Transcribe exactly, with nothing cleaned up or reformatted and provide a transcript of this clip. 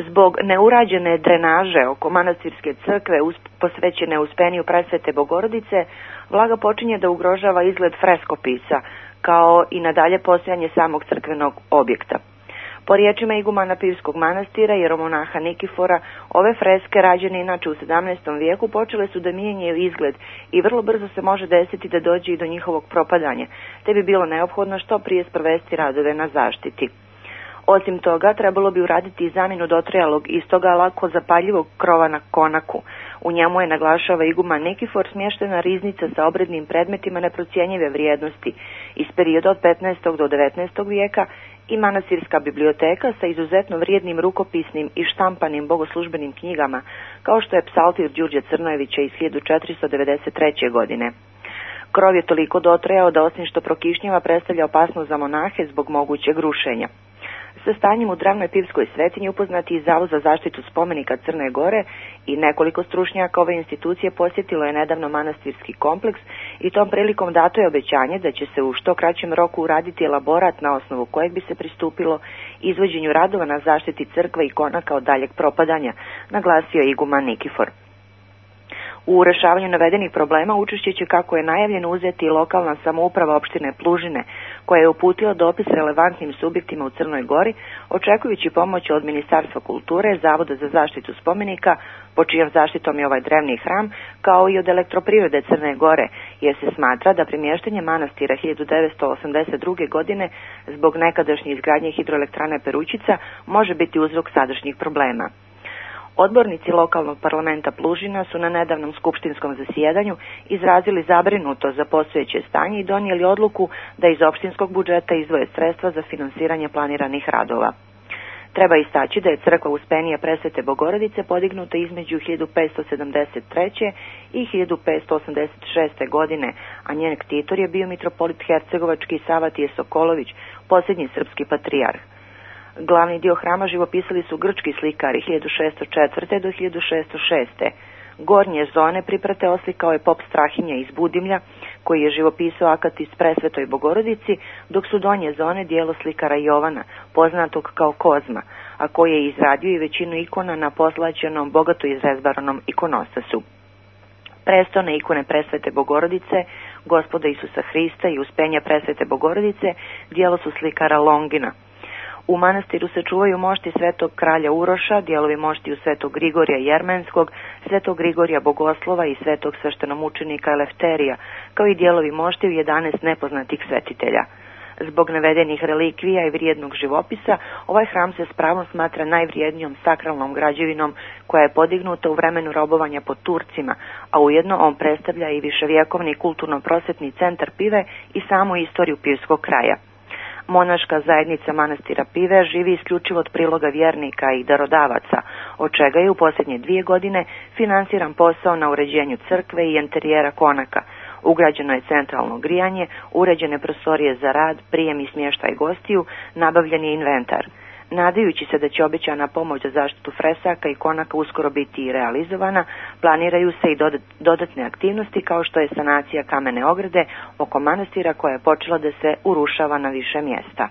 Zbog neurađene drenaže oko manastirske crkve posvećene Uspeniju Presvete Bogorodice, vlaga počinje da ugrožava izgled freskopisa, kao i nadalje postojanje samog crkvenog objekta. Po riječima igumana Pivskog manastira, jeromonaha Nikifora, ove freske, rađene inače u sedamnaestom vijeku, počele su da mijenjaju izgled i vrlo brzo se može desiti da dođe i do njihovog propadanja, te bi bilo neophodno što prije sprovesti radove na zaštiti. Osim toga, trebalo bi uraditi i zamjenu dotrajalog i stoga lako zapaljivog krova na konaku. U njemu je, naglašava iguman Nikifor, smještena riznica sa obrednim predmetima neprocjenjive vrijednosti iz perioda od petnaestog do devetnaestog vijeka i manastirska biblioteka sa izuzetno vrijednim rukopisnim i štampanim bogoslužbenim knjigama, kao što je Psaltir Đurđe Crnojevića iz hiljadu četiristo devedeset treće. godine. Krov je toliko dotrajao da osim što prokišnjava predstavlja opasnost za monahe zbog mogućeg rušenja. Sa stanjem u Dravnoj Pivskoj svetinji upoznati i Zavod za zaštitu spomenika Crne Gore i nekoliko stručnjaka ove institucije posjetilo je nedavno manastirski kompleks i tom prilikom dato je obećanje da će se u što kraćem roku uraditi elaborat na osnovu kojeg bi se pristupilo izvođenju radova na zaštiti crkve i konaka od daljeg propadanja, naglasio je iguman Nikifor. U rešavanju navedenih problema učešće će, kako je najavljeno, uzeti i lokalna samouprava opštine Plužine, koja je uputila dopis relevantnim subjektima u Crnoj Gori, očekujući pomoć od Ministarstva kulture, Zavoda za zaštitu spomenika, po čijom zaštitom je ovaj drevni hram, kao i od Elektroprivrede Crne Gore, jer se smatra da premještanje manastira hiljadu devetsto osamdeset druge. godine zbog nekadašnje izgradnje hidroelektrane Perućica može biti uzrok sadašnjih problema. Odbornici lokalnog parlamenta Plužina su na nedavnom skupštinskom zasjedanju izrazili zabrinutost za postojeće stanje i donijeli odluku da iz opštinskog budžeta izdvoje sredstva za finansiranje planiranih radova. Treba istaći da je crkva Uspenija Presvete Bogorodice podignuta između hiljadu petsto sedamdeset treće. i hiljadu petsto osamdeset šeste. godine, a njen ktitor je bio mitropolit hercegovački Savatije Sokolović, posljednji srpski patrijarh. Glavni dio hrama živopisali su grčki slikari hiljadu šesto četvrte. do hiljadu šesto šeste. Gornje zone priprate oslikao je pop Strahinja iz Budimlja, koji je živopisao Akatis Presvetoj Bogorodici, dok su donje zone dijelo slikara Jovana, poznatog kao Kozma, a koji je izradio i većinu ikona na poslaćenom, bogato izrezbaranom ikonostasu. Prestone ikone Presvete Bogorodice, Gospoda Isusa Hrista i Uspenja Presvete Bogorodice dijelo su slikara Longina. U manastiru se čuvaju mošti Svetog kralja Uroša, dijelovi moštiju Svetog Grigorija Jermenskog, Svetog Grigorija Bogoslova i Svetog sveštenomučenika Elefterija, kao i dijelovi moštiju jedanaest nepoznatih svetitelja. Zbog navedenih relikvija i vrijednog živopisa, ovaj hram se s pravom smatra najvrijednijom sakralnom građevinom koja je podignuta u vremenu robovanja pod Turcima, a ujedno on predstavlja i viševjekovni kulturno-prosvetni centar Pive i samu istoriju pivskog kraja. Monaška zajednica manastira Pive živi isključivo od priloga vjernika i darodavaca, od čega je u posljednje dvije godine finansiran posao na uređenju crkve i enterijera konaka. Ugrađeno je centralno grijanje, uređene prostorije za rad, prijem i smještaj gostiju, nabavljen je inventar. Nadajući se da će obećana pomoć za zaštitu fresaka i konaka uskoro biti i realizovana, planiraju se i dodatne aktivnosti kao što je sanacija kamene ograde oko manastira koja je počela da se urušava na više mjesta.